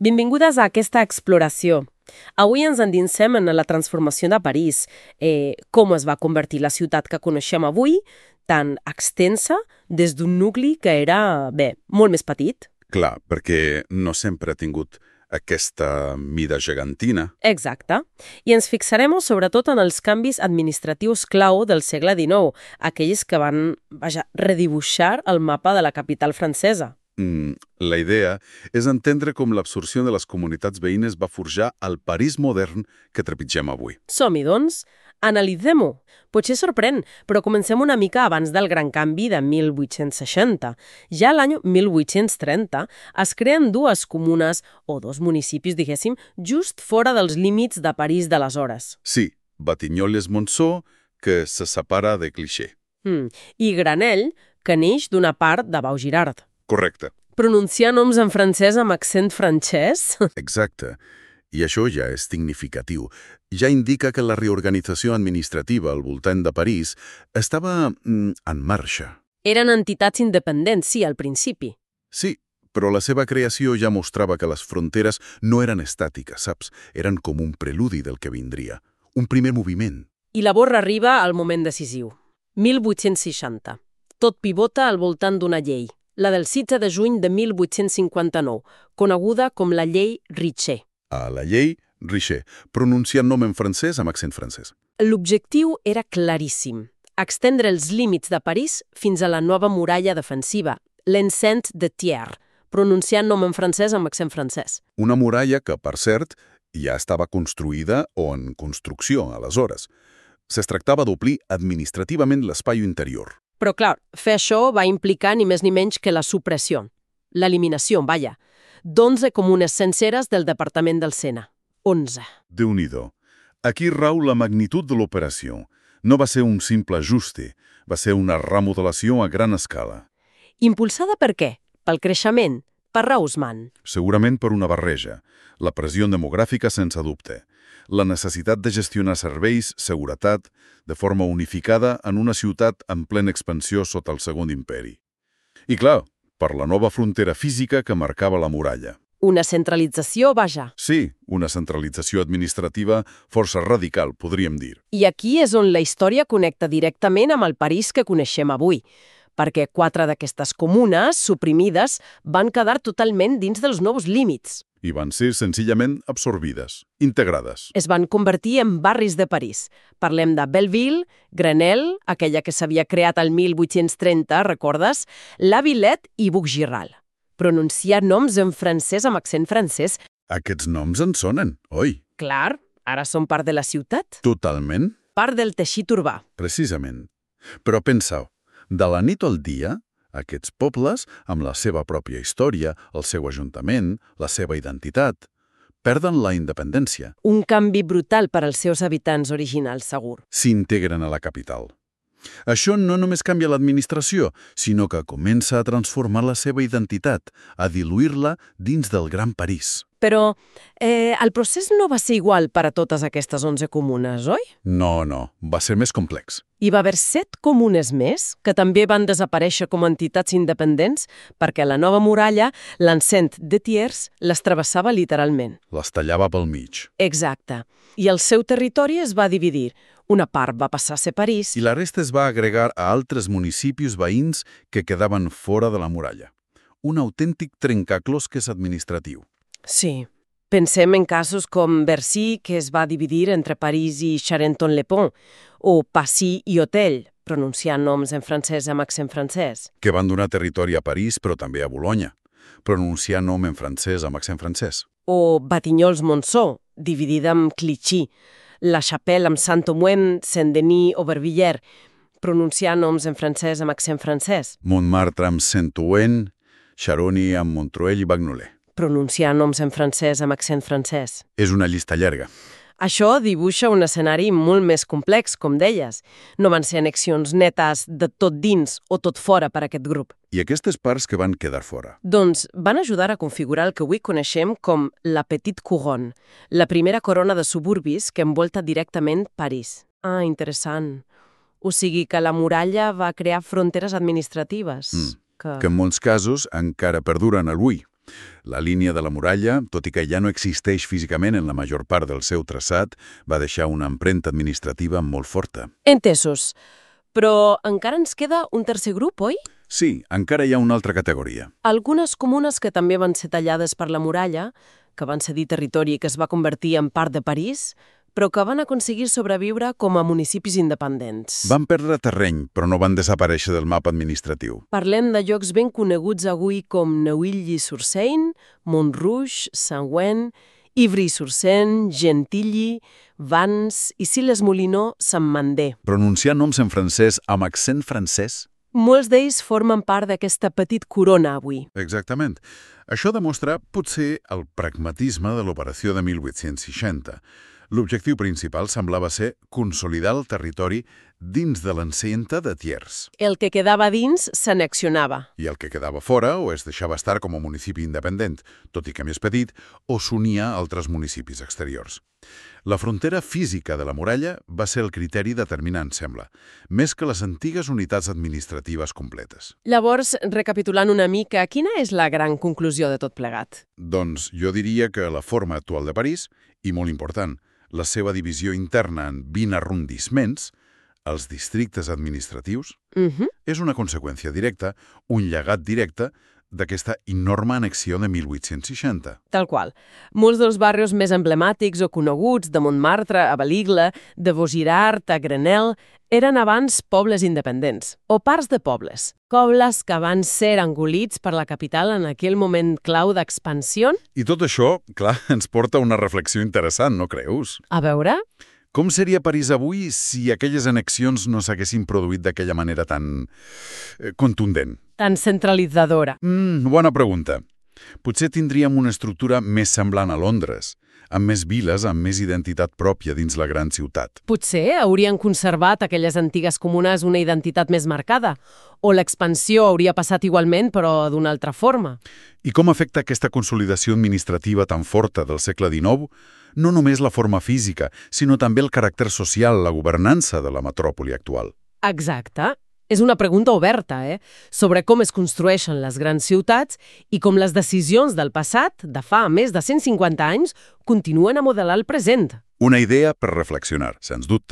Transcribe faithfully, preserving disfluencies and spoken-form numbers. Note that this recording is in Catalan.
Benvingudes a aquesta exploració. Avui ens endinsem en la transformació de París, eh, com es va convertir la ciutat que coneixem avui, tan extensa, des d'un nucli que era, bé, molt més petit. Clar, perquè no sempre ha tingut aquesta mida gegantina. Exacte. I ens fixarem sobretot en els canvis administratius clau del segle dinou, aquells que van, vaja, redibuixar el mapa de la capital francesa. Mm, la idea és entendre com l'absorció de les comunitats veïnes va forjar el París modern que trepitgem avui. Som-hi, doncs. Analitzem-ho. Potser sorprèn, però comencem una mica abans del gran canvi de mil vuit-cents seixanta. Ja l'any mil vuit-cents trenta es creen dues comunes, o dos municipis, diguéssim, just fora dels límits de París d'aleshores. Sí, Batignolles-Monceau, que se separa de Clichy. Mm. I Granelle, que neix d'una part de Vaugirard. Correcte. Pronunciar noms en francès amb accent francès? Exacte. I això ja és significatiu. Ja indica que la reorganització administrativa al voltant de París estava mm, en marxa. Eren entitats independents, sí, al principi. Sí, però la seva creació ja mostrava que les fronteres no eren estàtiques, saps? Eren com un preludi del que vindria. Un primer moviment. I la borra arriba al moment decisiu. mil vuit-cents seixanta. Tot pivota al voltant d'una llei, la del setze de juny de mil vuit-cents cinquanta-nou, coneguda com la llei Richet. A la llei Richet, pronunciant nom en francès amb accent francès. L'objectiu era claríssim, extendre els límits de París fins a la nova muralla defensiva, l'enceinte de Thiers, pronunciant nom en francès amb accent francès. Una muralla que, per cert, ja estava construïda o en construcció aleshores. Es tractava d'omplir administrativament l'espai interior. Però, clar, fer això va implicar ni més ni menys que la supressió, l'eliminació, vaja, d'onze comunes senceres del departament del Sena. onze. Déu-n'hi-do. Aquí rau la magnitud de l'operació. No va ser un simple ajuste, va ser una remodelació a gran escala. Impulsada per què? Pel creixement? Per Haussmann? Segurament per una barreja. La pressió demogràfica, sense dubte. La necessitat de gestionar serveis, seguretat, de forma unificada en una ciutat en plena expansió sota el Segon Imperi. I clar, per la nova frontera física que marcava la muralla. Una centralització, vaja. Sí, una centralització administrativa força radical, podríem dir. I aquí és on la història connecta directament amb el París que coneixem avui, perquè quatre d'aquestes comunes, suprimides, van quedar totalment dins dels nous límits. I van ser senzillament absorbides, integrades. Es van convertir en barris de París. Parlem de Belleville, Grenelle, aquella que s'havia creat al mil vuit-cents trenta, recordes? La Villette i Bougiral. Pronunciar noms en francès amb accent francès. Aquests noms en sonen, oi? Clar, ara són part de la ciutat. Totalment. Part del teixit urbà. Precisament. Però penseu, de la nit al dia, aquests pobles, amb la seva pròpia història, el seu ajuntament, la seva identitat, perden la independència. Un canvi brutal per als seus habitants originals, segur. S'integren a la capital. Això no només canvia l'administració, sinó que comença a transformar la seva identitat, a diluir-la dins del Gran París. Però eh, el procés no va ser igual per a totes aquestes onze comunes, oi? No, no, va ser més complex. Hi va haver set comunes més, que també van desaparèixer com a entitats independents, perquè la nova muralla, l'enceinte de Thiers, les travessava literalment. Les tallava pel mig. Exacte. I el seu territori es va dividir. Una part va passar a ser París. I la resta es va agregar a altres municipis veïns que quedaven fora de la muralla. Un autèntic trencaclosques administratiu. Sí. Pensem en casos com Bercy, que es va dividir entre París i Charenton-le-Pont, o Passy i Hôtel, pronunciant noms en francès amb accent francès. Que van donar territori a París, però també a Bolonya, pronunciant nom en francès amb accent francès. O Batignolles-Monceau, dividida amb Clichy, La Chapelle amb Saint-Ouen, Saint-Denis o Vervillers, pronunciant noms en francès amb accent francès. Montmartre amb Saint-Ouen, Charony amb Montreuil i Bagnolet. Pronunciar noms en francès amb accent francès. És una llista llarga. Això dibuixa un escenari molt més complex, com deies. No van ser annexions netes de tot dins o tot fora per a aquest grup. I aquestes parts que van quedar fora? Doncs van ajudar a configurar el que avui coneixem com la Petite Couronne, la primera corona de suburbis que envolta directament París. Ah, interessant. O sigui que la muralla va crear fronteres administratives. Mm. Que... que en molts casos encara perduren avui. La línia de la muralla, tot i que ja no existeix físicament en la major part del seu traçat, va deixar una empremta administrativa molt forta. Entesos. Però encara ens queda un tercer grup, oi? Sí, encara hi ha una altra categoria. Algunes comunes que també van ser tallades per la muralla, que van cedir territori i que es va convertir en part de París, però que van aconseguir sobreviure com a municipis independents. Van perdre terreny, però no van desaparèixer del mapa administratiu. Parlem de llocs ben coneguts avui com Neuilly-sur-Seine, Montrouge, Saint-Ouen, Ivry-sur-Seine, Gentilly, Vannes i Siles-Moulineaux, Saint-Mandé. Pronunciar noms en francès amb accent francès? Molts d'ells formen part d'aquesta petit corona avui. Exactament. Això demostra, potser, el pragmatisme de l'operació de mil vuit-cents seixanta. L'objectiu principal semblava ser consolidar el territori dins de l'enceinte de Thiers. El que quedava dins s'annexionava. I el que quedava fora o es deixava estar com a municipi independent, tot i que més petit, o s'unia a altres municipis exteriors. La frontera física de la muralla va ser el criteri determinant, sembla, més que les antigues unitats administratives completes. Llavors, recapitulant una mica, quina és la gran conclusió de tot plegat? Doncs jo diria que la forma actual de París, i molt important, la seva divisió interna en vint arrondissements, els districtes administratius, Uh-huh. és una conseqüència directa, un llegat directe, d'aquesta enorme annexió de mil vuit-cents seixanta. Tal qual. Molts dels barris més emblemàtics o coneguts de Montmartre a Baligle, de Vaugirard a Grenelle, eren abans pobles independents, o parts de pobles. Pobles que van ser engolits per la capital en aquell moment clau d'expansió. I tot això, clar, ens porta a una reflexió interessant, no creus? A veure? Com seria París avui si aquelles annexions no s'haguessin produït d'aquella manera tan eh, contundent? Tan centralitzadora. Mm, bona pregunta. Potser tindríem una estructura més semblant a Londres, amb més viles, amb més identitat pròpia dins la gran ciutat. Potser haurien conservat aquelles antigues comunes una identitat més marcada, o l'expansió hauria passat igualment però d'una altra forma. I com afecta aquesta consolidació administrativa tan forta del segle dinou no només la forma física, sinó també el caràcter social, la governança de la metròpoli actual? Exacte. És una pregunta oberta, eh? Sobre com es construeixen les grans ciutats i com les decisions del passat, de fa més de cent cinquanta anys, continuen a modelar el present. Una idea per reflexionar, sens dubte.